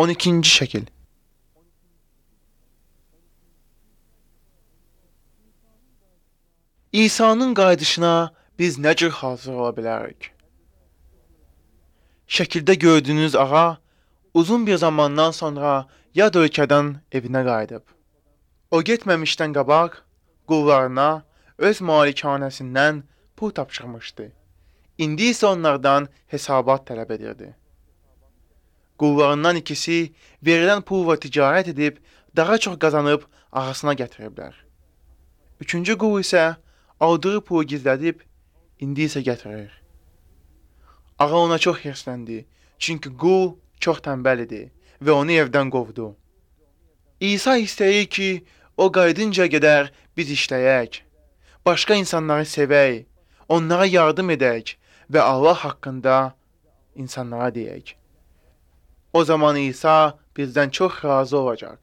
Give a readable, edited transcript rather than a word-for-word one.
12-ci şəkil. İsa'nın qayıdışına biz nə cür hazır ola bilərik? Şəkildə gördüyünüz ağa uzun bir zamandan sonra yad ölkədən evinə qayıdıb. O getməmişdən qabaq qullarına öz malikanəsindən pul tapşırmışdı. İndi isə onlardan hesabat tələb edirdi. Qullarından ikisi verilən pulla ticarət edib daha çox qazanıb ağasına gətiriblər. Üçüncü qul isə aldığı pulu gizlədib indi isə gətirir. Ağa ona çox hirsləndi, çünki qul çox tənbəl idi və onu evdən qovdu. İsa istəyir ki, o qayıdınca qədər biz işləyək, başqa insanları sevək, onlara yardım edək və Allah haqqında insanlara deyək. O zaman İsa bizdən çox razı olacaq.